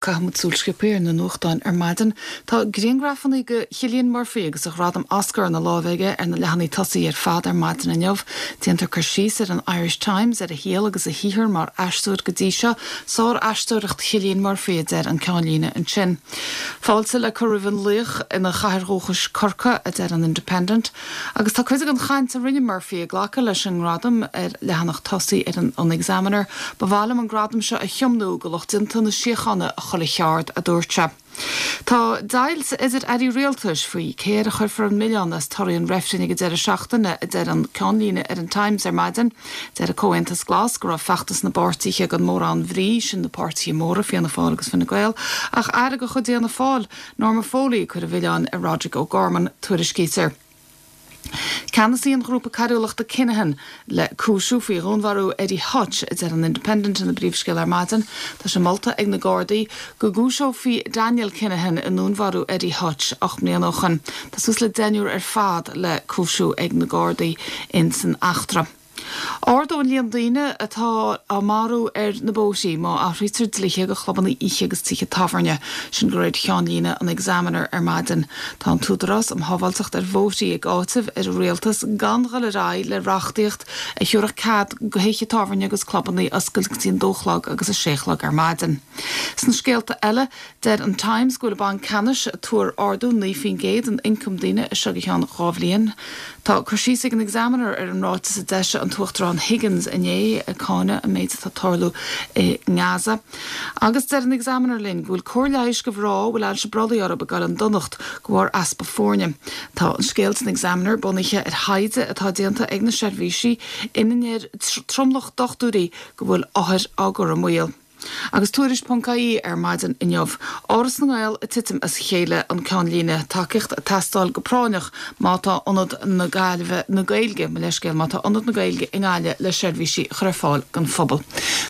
Caithfimid súil sciobtha ar na nuachtáin ar maidin. Tá grianghrafanna de Chillian Murphy agus a ghradam Oscar ina láimh aige ar na leathanaigh tosaigh ar fad ar maidin inniu. Déantar cur síos ar an Irish Times ar a shaol agus a shaothar mar aisteoir go dtí seo. Sár-aisteoireacht Chillian Murphy, a deir an ceannlíne ansin. Fáilte le cur roimh an laoch ina chathair dhúchais Corcaigh, a deir an Independent. Agus tá cuid den chaint a rinne Murphy ag glacadh leis an ngradam ar leathanach tosaigh ar an Examiner. Ba mhaith liom an gradam seo a thiomnú go lucht déanta na síochána i chuile cheard, a dúirt sé. Tá deighilt idir airí rialtais faoi cé air a chuirfear an milleán as torthaí an reifrinn ag an deireadh seachtaine, a deir an ceannlíne ar an Times ar maidin. Deir an Comhaontas Glas go raibh feachtas na bpáirtithe gan mórán bhrí, sin na páirtithe móra, Fianna Fáil agus Fine Gael, ach aire de chuid Fhianna Fáil, Norma Foley ag cur an mhilleáin ar Roderic O'Gorman, tuairiscítear. Ceannasaí an ghrúpa coiriúlachta Kinahan le cúisiú faoi dhúnmharú Eddie Hutch, a deir an Independent ina bpríomhscéal ar maidin. Tá sé molta ag na Gardaí go gcúiseofaí Daniel Kinahan i ndúnmharú Eddie Hutch 8 mbliana ó shoin. Tá suas le deichniúr ar fad le cúisiú ag na Gardaí ins an eachtra. Ardóidh an líon daoine atá á marú ar na bóithrí má athraítear dlíthe do chlubanna oíche agus tithe tábhairne, sin de réir cheannlíne an Examiner ar maidin. Tá an tÚdarás um Shábháilteacht ar Bhóithrí ag áiteamh ar an rialtas gan dhul ar aghaidh le reachtaíocht a thiúrfadh cead do thithe tábhairne agus clubanna oscailt go dtí an dó chlog agus a sé chlog ar maidin. Sna scéalta eile, Deir an Times go bhfuil an Banc Ceannais ag tuar ardú 9% in ioncam daoine as seo go ceann 2 bhliain. Tá cur síos ag an Examiner ar an ráiteas a d'eisigh an tUachtarán Higgins inné ag cáineadh an méid atá ag tarlú i nGaza. Agus deir an Examiner linn go bhfuil cóir leighis do mhná a bhfuil ailse brollaigh orthu ag dul i ndonacht de bharr easpa foirne. Tá an scéal san Examiner bunaithe ar thaighde atá déanta ag na seirbhísí ina ndeir tromlach dochtúirí go bhfuil othair á gcur i mbaol. Agus Tuairisc ponc ie ar maidin inniu. Áras na nGael ag titim as a chéile, an ceannlíne. Tacaíocht ag teastáil go práinneach má tá Ionad na Gaillimhe, na Gaeilge, mo leithscéal, má tá Ionad na Gaeilge i nGaillimh le seirbhísí a chur ar fáil don phobal.